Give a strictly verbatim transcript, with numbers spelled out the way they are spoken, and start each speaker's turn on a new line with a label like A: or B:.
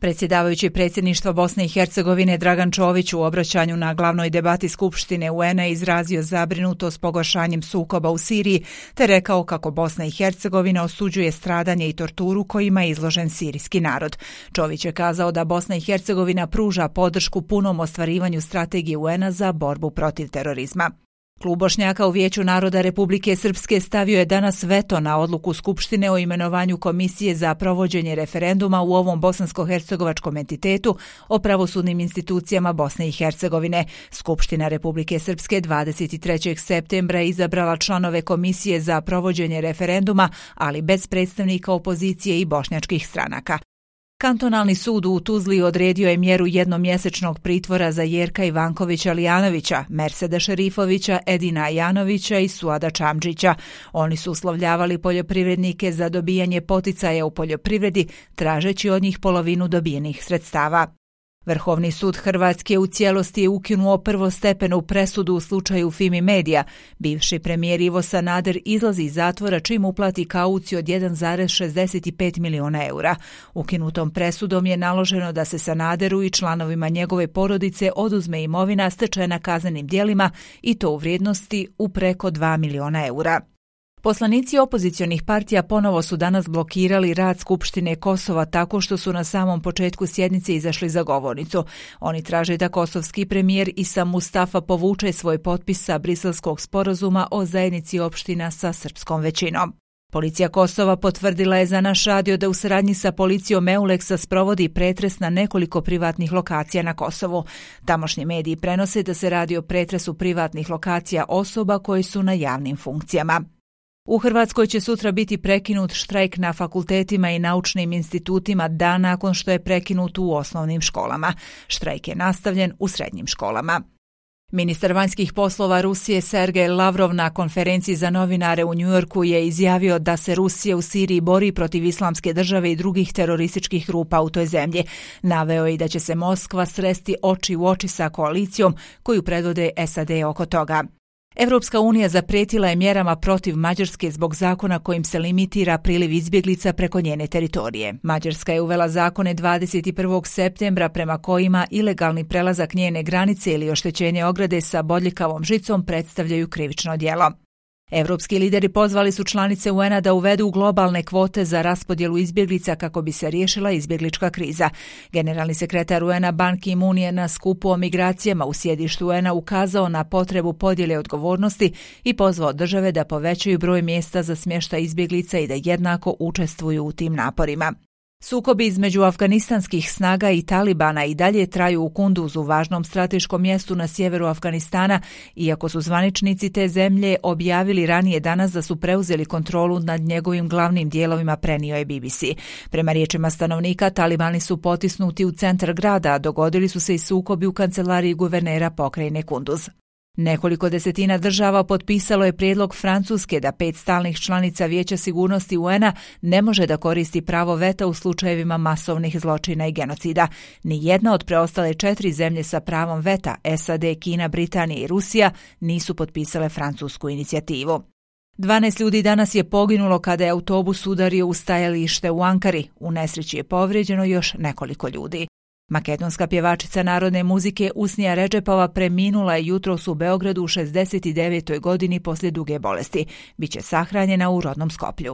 A: Predsjedavajući predsjedništva Bosne i Hercegovine Dragan Čović u obraćanju na glavnoj debati Skupštine U N A izrazio zabrinutost pogoršanjem sukoba u Siriji te rekao kako Bosna i Hercegovina osuđuje stradanje i torturu kojima je izložen sirijski narod. Čović je kazao da Bosna i Hercegovina pruža podršku punom ostvarivanju strategije U N A za borbu protiv terorizma. Klub Bošnjaka u Vijeću naroda Republike Srpske stavio je danas veto na odluku Skupštine o imenovanju Komisije za provođenje referenduma u ovom bosansko-hercegovačkom entitetu o pravosudnim institucijama Bosne i Hercegovine. Skupština Republike Srpske dvadeset trećeg septembra je izabrala članove Komisije za provođenje referenduma, ali bez predstavnika opozicije i bošnjačkih stranaka. Kantonalni sud u Tuzli odredio je mjeru jednomjesečnog pritvora za Jerka Ivankovića Lijanovića, Merseda Šerifovića, Edina Janovića i Suada Čamđića. Oni su uslovljavali poljoprivrednike za dobijanje poticaja u poljoprivredi, tražeći od njih polovinu dobijenih sredstava. Vrhovni sud Hrvatske u cijelosti je ukinuo prvostepenu presudu u slučaju Fimi Media. Bivši premijer Ivo Sanader izlazi iz zatvora čim uplati kauciju od jedan zarez šezdeset pet miliona eura. Ukinutom presudom je naloženo da se Sanaderu i članovima njegove porodice oduzme imovina stečena kaznenim djelima i to u vrijednosti u preko dva miliona eura. Poslanici opozicionih partija ponovo su danas blokirali rad Skupštine Kosova tako što su na samom početku sjednice izašli za govornicu. Oni traže da kosovski premijer Isa Mustafa povuče svoj potpis sa Briselskog sporazuma o zajednici opština sa srpskom većinom. Policija Kosova potvrdila je za naš radio da u saradnji sa policijom Euleksa sprovodi pretres na nekoliko privatnih lokacija na Kosovu. Tamošnji mediji prenose da se radi o pretresu privatnih lokacija osoba koji su na javnim funkcijama. U Hrvatskoj će sutra biti prekinut štrajk na fakultetima i naučnim institutima dan nakon što je prekinut u osnovnim školama. Štrajk je nastavljen u srednjim školama. Ministar vanjskih poslova Rusije Sergej Lavrov na konferenciji za novinare u Njujorku je izjavio da se Rusija u Siriji bori protiv islamske države i drugih terorističkih grupa u toj zemlji. Naveo je i da će se Moskva sresti oči u oči sa koalicijom koju predvode S A D oko toga. Evropska unija zaprijetila je mjerama protiv Mađarske zbog zakona kojim se limitira priliv izbjeglica preko njene teritorije. Mađarska je uvela zakone dvadeset prvog septembra prema kojima ilegalni prelazak njene granice ili oštećenje ograde sa bodljikavom žicom predstavljaju krivično djelo. Evropski lideri pozvali su članice U N A da uvedu globalne kvote za raspodjelu izbjeglica kako bi se riješila izbjeglička kriza. Generalni sekretar U N A Ban Ki-moon je na skupu o migracijama u sjedištu U N A ukazao na potrebu podjele odgovornosti i pozvao države da povećaju broj mjesta za smještaj izbjeglica i da jednako učestvuju u tim naporima. Sukobi između afganistanskih snaga i Talibana i dalje traju u Kunduzu, važnom strateškom mjestu na sjeveru Afganistana, iako su zvaničnici te zemlje objavili ranije danas da su preuzeli kontrolu nad njegovim glavnim dijelovima, prenio je B B C. Prema riječima stanovnika, Talibani su potisnuti u centar grada, a dogodili su se i sukobi u kancelariji guvernera pokrajine Kunduz. Nekoliko desetina država potpisalo je prijedlog Francuske da pet stalnih članica Vijeća sigurnosti U N A ne može da koristi pravo veta u slučajevima masovnih zločina i genocida. Ni jedna od preostale četiri zemlje sa pravom veta, S A D, Kina, Britanija i Rusija, nisu potpisale francusku inicijativu. dvanaest ljudi danas je poginulo kada je autobus udario u stajalište u Ankari. U nesreći je povrijeđeno još nekoliko ljudi. Makedonska pjevačica narodne muzike Usnija Redžepova preminula je jutros u Beogradu u šezdeset devetoj godini poslije duge bolesti. Biće sahranjena u rodnom Skoplju.